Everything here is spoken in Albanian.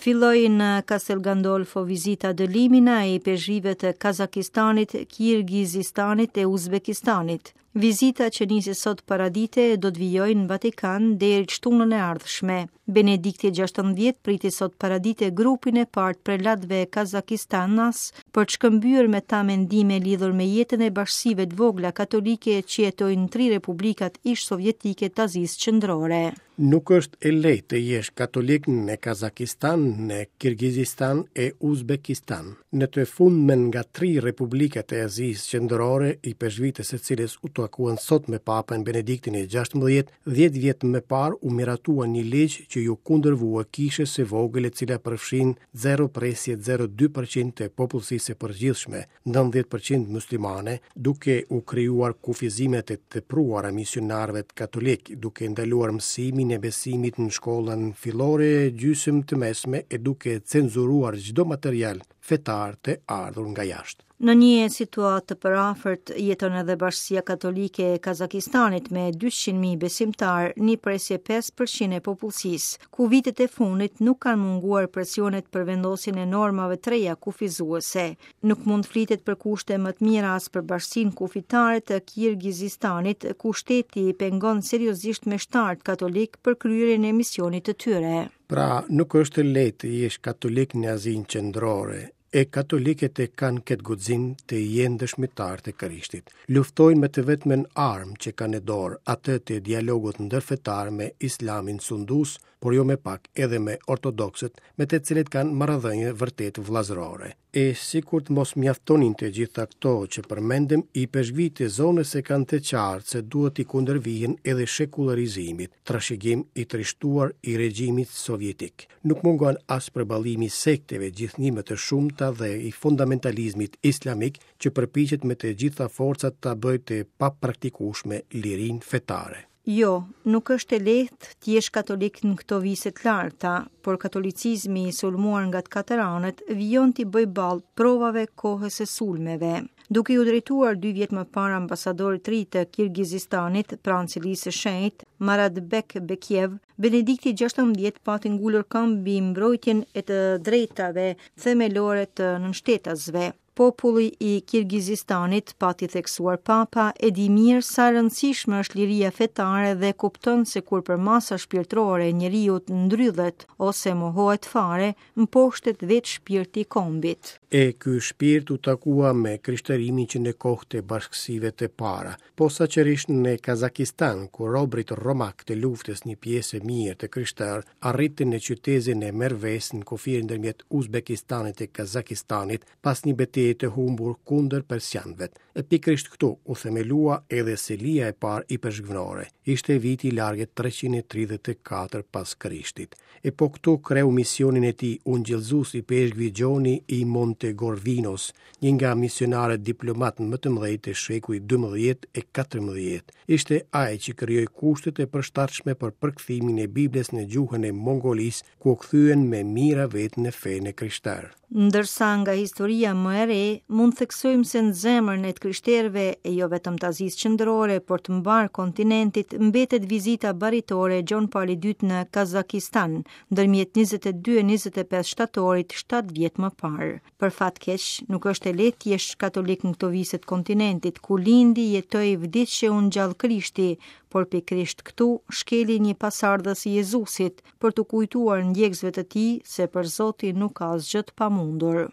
Filloi në Castel Gandolfo vizita ad limina e ipeshkvijve të Kazakistanit, Kirgizistanit e Uzbekistanit. Vizita që nisi sot paradite do të vijojë në Vatikan deri të shtunën e ardhshme. Benedikti 16 priti sot paradite grupin e parë të prelatëve kazakistanas për të shkëmbyer me ta mendime lidhur me jetën e bashkësive të vogla katolike që jetojnë në tri republikat ish-sovjetike të Azisë Qendrore. Nuk është e lehtë të jesh katolik në Kazakistan, në Kirgizistan e Uzbekistan. Në të fundmen nga tri republikat e Azisë Qendrore, ipeshkvijtë e së cilës u takuan sot me Papën Benediktin e 16, 10 vjet më parë u miratua një ligj që iu kundërvua kishës së vogël e cila përfshin 0,02% të popullsisë së përgjithshme, 90% muslimane, duke u krijuar kufizime të tepruara misionarëve katolikë, duke ndaluar mësimin e besimit në shkollën fillore gjysmë të mesme e duke cenzuruar çdo material fetar të ardhur nga jashtë. Në një situatë të përafërt jeton edhe bashkësia katolike e Kazakistanit me 200.000 besimtarë, 1.5% e popullsisë, ku vitet e fundit nuk kanë munguar presionet për vendosjen e normave të reja kufizuese. Nuk mund të flitet për kushte më të mira as për bashkësinë kufitare të Kirgizistanit, ku shteti pengon seriozisht meshtarët katolikë për kryerjen e misionit të tyre. Pra, nuk është e lehtë të jesh katolik në Azinë Qendrore, e katolikët e kanë këtë guxim të jenë dëshmitarë të Krishtit. Luftojnë me të vetmen armë që kanë në dorë, atë të dialogut ndërfetar me Islamin sundues, por jo me pak edhe me ortodoksët, me të cilët kanë marrëdhënie vërtet vëllazërore. E sikur të mos mjaftonin të gjitha këto që përmendëm, ipeshkvijtë e zonës e kanë të qartë se duhet t'i kundërvihen edhe shekullarizimit, trashëgim i trishtuar i regjimit sovjetik. Nuk mungon as përballimi i sekteve gjithnjë më të shumta dhe i fundamentalizmit islamik që përpiqet me të gjitha forcat ta bëjë të papraktikueshme lirinë fetare. Jo, nuk është e lehtë të jesh katolik në këto vise të larta, por katolicizmi i sulmuar nga të katër anët vijon t'i bëjë ballë provave kohës e sulmeve. Duke iu drejtuar dy vjet më parë ambasadorit të ri të Kirgizistanit pranë Selisë së Shenjtë, Maratbek Bekiev, Benedikti 16 pati ngulur këmbë mbi mbrojtjen e të drejtave themelore të nënshtetasve. Populli i Kirgizistanit, pati theksuar Papa, e di mirë sa e rëndësishme është liria fetare dhe kupton se kur përmasa shpirtërore e njeriut ndrydhet ose mohohet fare, mposhtet vetë shpirti i kombit. E ky shpirt u takua me krishterimin që në kohë të bashkësive të para, posaçërisht në Kazakistan, ku robërit romakë të luftës një pjesë e mirë të krishterë arritën në qytezën e Merves në kufirin ndërmjet Uzbekistanit e Kazakistanit pas një beteje të humbur kundër persianëve. E pikërisht këtu u themelua edhe selia e parë ipeshkvnore. Ishte viti i largët 334 pas Krishtit. E po këtu kreu misionin e tij ungjillëzues ipeshkvi Gjoni i Montegorvinos, një nga misionarët diplomatë më të mëdhenj të shekujve 12 e 14. Ishte ai që krijoi kushtet e përshtatshme për përkthimin e Biblës në gjuhën e Mongolisë, ku u kthyen me mijëra vetë në fenë e krishterë. Ndërsa nga historia më e re, mund të theksojmë se në zemrën e të krishterëve, e jo vetëm të Azisë Qendrore, por të mbarë kontinentit, mbetet vizita baritore e Gjon Palit II në Kazakistan, ndërmjet 22 e 25 shtatorit 7 vjet më parë. Për fat keq, nuk është e lehtë të jesh katolik në këto vise të kontinentit, ku lindi, jetoi, vdiq e u ngjall Krishti, por pikërisht këtu shkeli një pasardhës i Jezusit, për t'u kujtuar ndjekësve të tij se për Zotin nuk ka asgjë të pamundur.